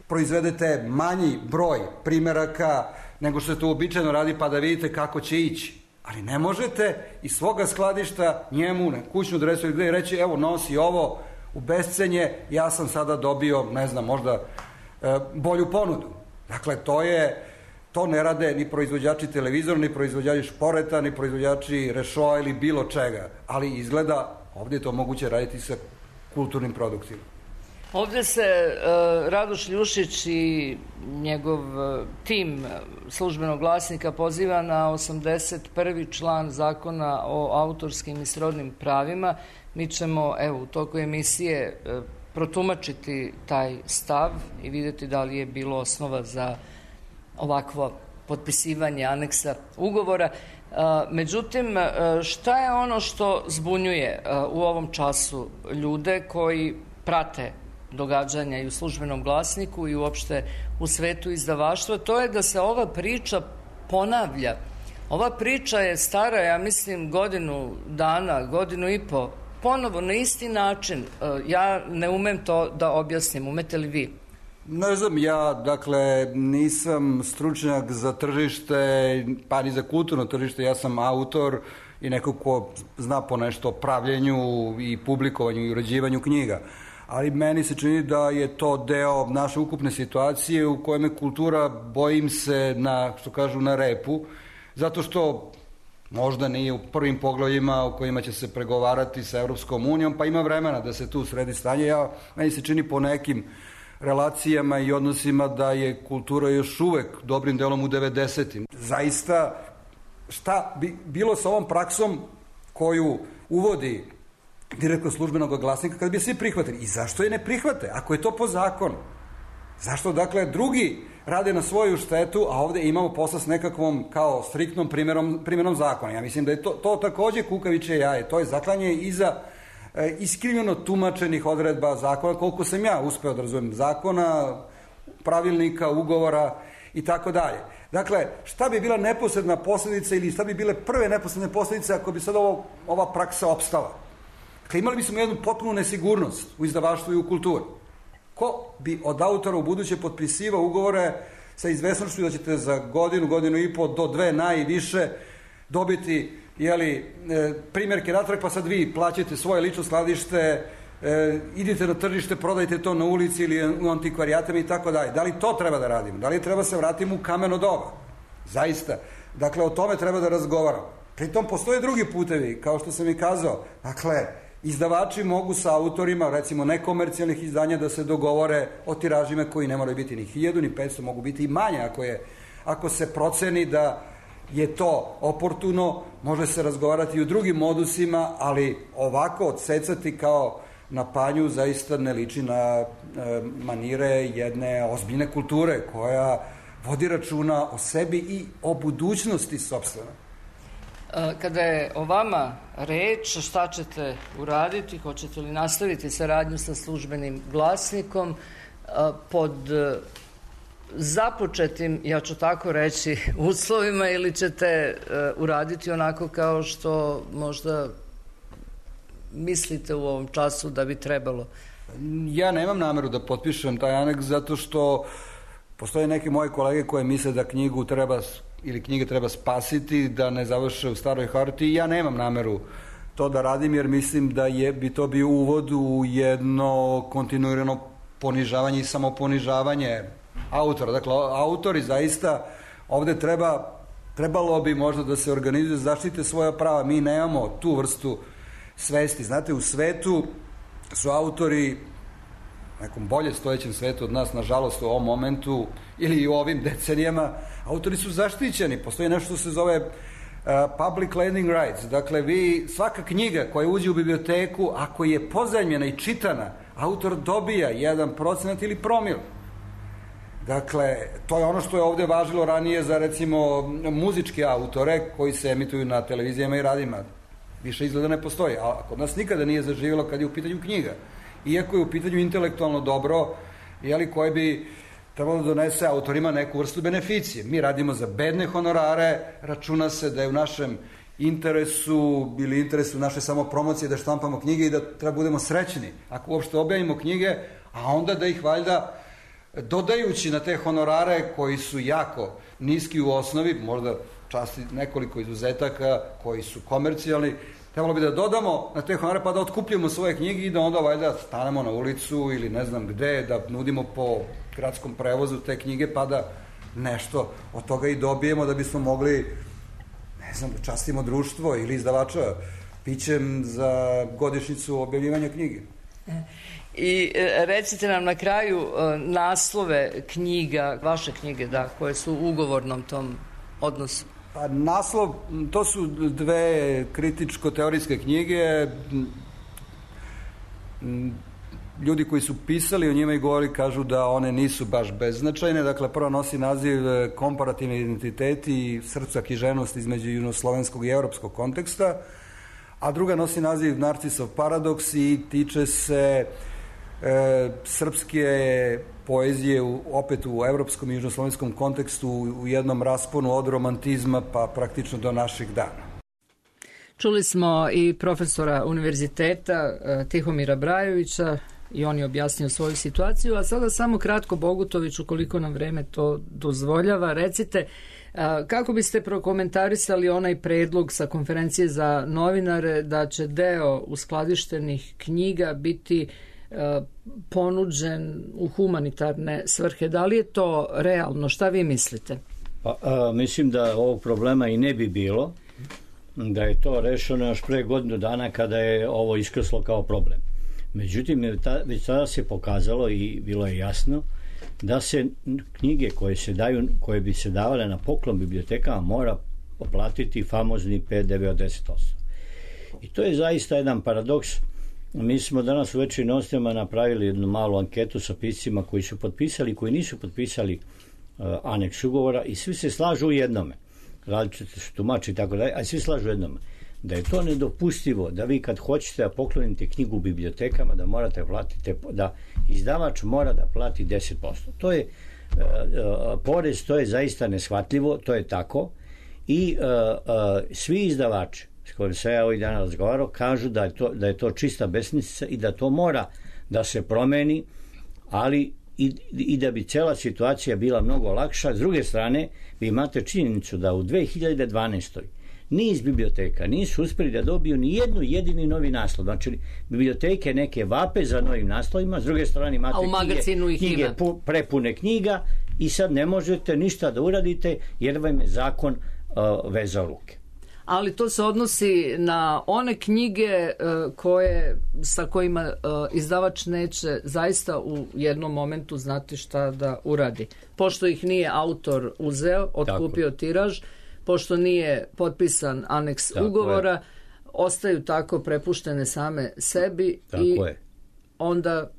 proizvedete manji broj primjeraka nego što se to uobičajeno radi, pa da vidite kako će ići. Ali ne možete iz svoga skladišta njemu na kućnu adresu gde reći: evo, nosi ovo u bescenje, ja sam sada dobio, ne znam, možda bolju ponudu. Dakle, to je, to ne rade ni proizvođači televizora, ni proizvođači šporeta, ni proizvođači rešoa ili bilo čega, ali izgleda ovdje je to moguće raditi sa kulturnim produktima. Ovdje se uh, Radoš Ljušić i njegov uh, tim Službenog glasnika poziva na osamdeset prvi član Zakona o autorskim i srodnim pravima. Mi ćemo, evo, u toku emisije uh, protumačiti taj stav i vidjeti da li je bilo osnova za ovakvo potpisivanje aneksa ugovora. Uh, međutim, uh, šta je ono što zbunjuje uh, u ovom času ljude koji prate događanja i u Službenom glasniku i uopšte u svetu izdavaštva? To je da se ova priča ponavlja. Ova priča je stara, ja mislim, godinu dana, godinu i po, ponovo na isti način. Ja ne umem to da objasnim, umete li vi? Ne znam, ja, dakle, nisam stručnjak za tržište, pa ni za kulturno tržište, ja sam autor i neko ko zna po nešto o pravljenju i publikovanju i uređivanju knjiga. Ali meni se čini da je to deo naše ukupne situacije u kojem je kultura, bojim se, na, što kažu, na repu, zato što možda nije u prvim poglavljima u kojima će se pregovarati sa Evropskom unijom, pa ima vremena da se tu sredi stanje. Ja, meni se čini po nekim relacijama i odnosima da je kultura još uvek dobrim delom u devedesetim. Zaista, šta bi bilo sa ovom praksom koju uvodi direktno Službenog glasnika kad bi svi prihvatili? I zašto je ne prihvate, ako je to po zakonu? Zašto, dakle, drugi rade na svoju štetu, a ovde imamo posla s nekakvom kao striktnom primjerom, primjerom zakona? Ja mislim da je to, to takođe kukavičje jaje. To je zaklanje iza e, iskrivljeno tumačenih odredba zakona, koliko sam ja uspeo da razumem, zakona, pravilnika, ugovora i tako dalje. Dakle, šta bi bila neposredna posljedica ili šta bi bile prve neposredne posljedice ako bi sad ovo, ova praksa opstala? Dakle, imali bismo jednu potpunu nesigurnost u izdavaštvu i u kulturi. Ko bi od autora u buduće potpisivao ugovore sa izvesnošću da ćete za godinu, godinu i po do dve najviše dobiti, jeli, primjerke natrag, pa sad vi plaćate svoje lično skladište, e, idite na tržište, prodajte to na ulici ili u antikvarijatama i tako dalje. Da li to treba da radimo? Da li treba se vratimo u kameno doba? Zaista. Dakle, o tome treba da razgovaramo. Pritom postoje drugi putevi, kao što sam i kazao. Dakle, izdavači mogu sa autorima, recimo nekomercijalnih izdanja, da se dogovore o tiražima koji ne moraju biti ni hiljadu, ni petsto, mogu biti i manje ako, je, ako se proceni da je to oportuno, može se razgovarati i u drugim modusima, ali ovako odsecati kao na panju zaista ne liči na e, manire jedne ozbiljne kulture koja vodi računa o sebi i o budućnosti sopstvene. Kada je o vama reč, šta ćete uraditi? Hoćete li nastaviti saradnju sa Službenim glasnikom pod započetim, ja ću tako reći, uslovima, ili ćete uraditi onako kao što možda mislite u ovom času da bi trebalo? Ja nemam nameru da potpišem taj aneks zato što postoje neke moje kolege koje misle da knjigu treba ili knjige treba spasiti, da ne završe u staroj hartiji. Ja nemam nameru to da radim jer mislim da je, bi to bio uvod u jedno kontinuirano ponižavanje i samoponižavanje autora. Dakle, autori zaista ovde treba, trebalo bi možda da se organizuju, zaštite svoja prava. Mi nemamo tu vrstu svesti. Znate, u svetu su autori, nekom bolje stojećem svetu od nas, nažalost, u ovom momentu ili u ovim decenijama, autori su zaštićeni. Postoji nešto što se zove uh, public lending rights. Dakle, vi, svaka knjiga koja uđe u biblioteku, ako je pozajmljena i čitana, autor dobija jedan procenat ili promil. Dakle, to je ono što je ovde važilo ranije za, recimo, muzičke autore koji se emituju na televizijama i radijima. Više izgleda ne postoji, a kod nas nikada nije zaživjelo kad je u pitanju knjiga. Iako je u pitanju intelektualno dobro, jeli, koje bi trebalo da donese autorima neku vrstu beneficije. Mi radimo za bedne honorare, računa se da je u našem interesu ili interesu naše samopromocije da štampamo knjige i da treba budemo srećni ako uopšte objavimo knjige, a onda da ih valjda dodajući na te honorare koji su jako niski u osnovi, možda časti nekoliko izuzetaka koji su komercijalni, Trebalo bi da dodamo na te honore pa da otkupljamo svoje knjige i da onda valjda stanemo na ulicu ili ne znam gde, da nudimo po gradskom prevozu te knjige pa da nešto od toga i dobijemo da bismo mogli, ne znam, da častimo društvo ili izdavača pićem za godišnjicu objavljivanja knjige. I recite nam na kraju naslove knjiga, vaše knjige, da, koje su u ugovornom tom odnosu. Pa naslov, to su dve kritičko-teorijske knjige. Ljudi koji su pisali o njima i govori kažu da one nisu baš beznačajne. Dakle, prva nosi naziv Komparativni identiteti i srca književnosti između južnoslovenskog i evropskog konteksta, a druga nosi naziv Narcisov paradoks i tiče se e, srpske poezije u, opet u evropskom i južnoslovenskom kontekstu u jednom rasponu od romantizma pa praktično do naših dana. Čuli smo i profesora univerziteta Tihomira Brajovića i on je objasnio svoju situaciju, a sada samo kratko Bogutović, ukoliko nam vreme to dozvoljava, recite kako biste prokomentarisali onaj predlog sa konferencije za novinare da će deo uskladištenih knjiga biti ponuđen u humanitarne svrhe. Da li je to realno? Šta vi mislite? Pa, a, mislim da ovog problema i ne bi bilo, da je to rešeno još pre godinu dana kada je ovo iskrslo kao problem. Međutim, već tada se pokazalo i bilo je jasno da se knjige koje se daju, koje bi se davale na poklon bibliotekama mora oplatiti famozni P D V od deset posto. I to je zaista jedan paradoks. Mi smo danas u Večernjim novostima napravili jednu malu anketu sa piscima koji su potpisali i koji nisu potpisali uh, aneks ugovora i svi se slažu u jednome. Različite su tumači i tako dalje, a svi slažu u jednome. Da je to nedopustivo, da vi kad hoćete da poklonite knjigu u bibliotekama, da morate platiti, da izdavač mora da plati deset posto. To je uh, uh, porez, to je zaista neshvatljivo, to je tako i uh, uh, svi izdavači s kojim se ja ovih dana razgovarao, kažu da je, to, da je to čista besmislica i da to mora da se promeni, ali i, i da bi cela situacija bila mnogo lakša. S druge strane, vi imate činjenicu da u dve hiljade dvanaestoj niz biblioteka nisu uspeli da dobiju ni jednu jedini novi naslov. Znači, biblioteke neke vape za novim naslovima, s druge strane imate knjige, knjige pu, prepune knjiga i sad ne možete ništa da uradite jer vam je zakon uh, vezao ruke. Ali to se odnosi na one knjige uh, koje, sa kojima uh, izdavač neće zaista u jednom momentu znati šta da uradi. Pošto ih nije autor uzeo, otkupio tako tiraž, pošto nije potpisan aneks tako ugovora, je. Ostaju tako prepuštene same sebi tako i je. Onda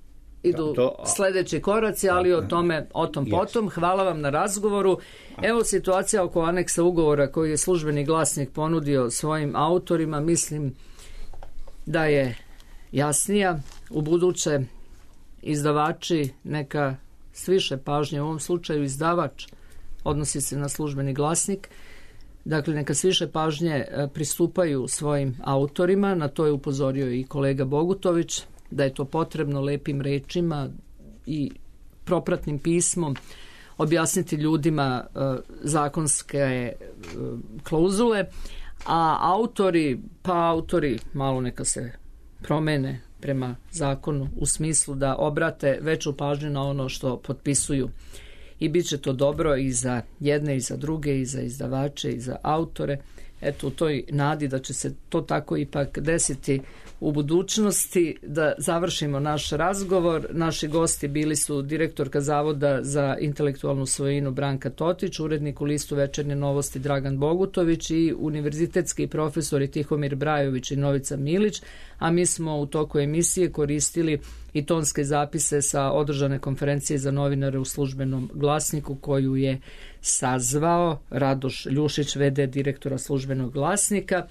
idu to, a... sledeći koraci, ali o tome o tom potom. Hvala vam na razgovoru. Evo situacija oko aneksa ugovora koji je Službeni glasnik ponudio svojim autorima, mislim da je jasnija. U buduće izdavači neka s više pažnje, u ovom slučaju izdavač, odnosi se na Službeni glasnik, dakle neka s više pažnje pristupaju svojim autorima, na to je upozorio i kolega Bogutović, da je to potrebno lepim rečima i propratnim pismom objasniti ljudima uh, zakonske uh, klauzule, a autori, pa autori malo neka se promene prema zakonu u smislu da obrate veću pažnju na ono što potpisuju. I bit će to dobro i za jedne i za druge, i za izdavače i za autore. Eto, u toj nadi da će se to tako ipak desiti u budućnosti, da završimo naš razgovor. Naši gosti bili su direktorka Zavoda za intelektualnu svojinu Branka Totić, urednik u listu Večernje novosti Dragan Bogutović i univerzitetski profesori Tihomir Brajović i Novica Milić, a mi smo u toku emisije koristili i tonske zapise sa održane konferencije za novinare u Službenom glasniku koju je sazvao Radoš Ljušić, v d direktora Službenog glasnika,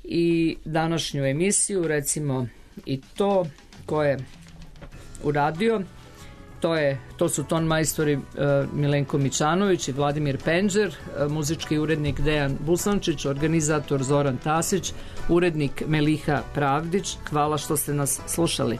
i današnju emisiju, recimo i to ko je uradio, to, je, to su ton majstori uh, Milenko Mićanović i Vladimir Penđer, uh, muzički urednik Dejan Busančić, organizator Zoran Tasić, urednik Meliha Pravdić. Hvala što ste nas slušali.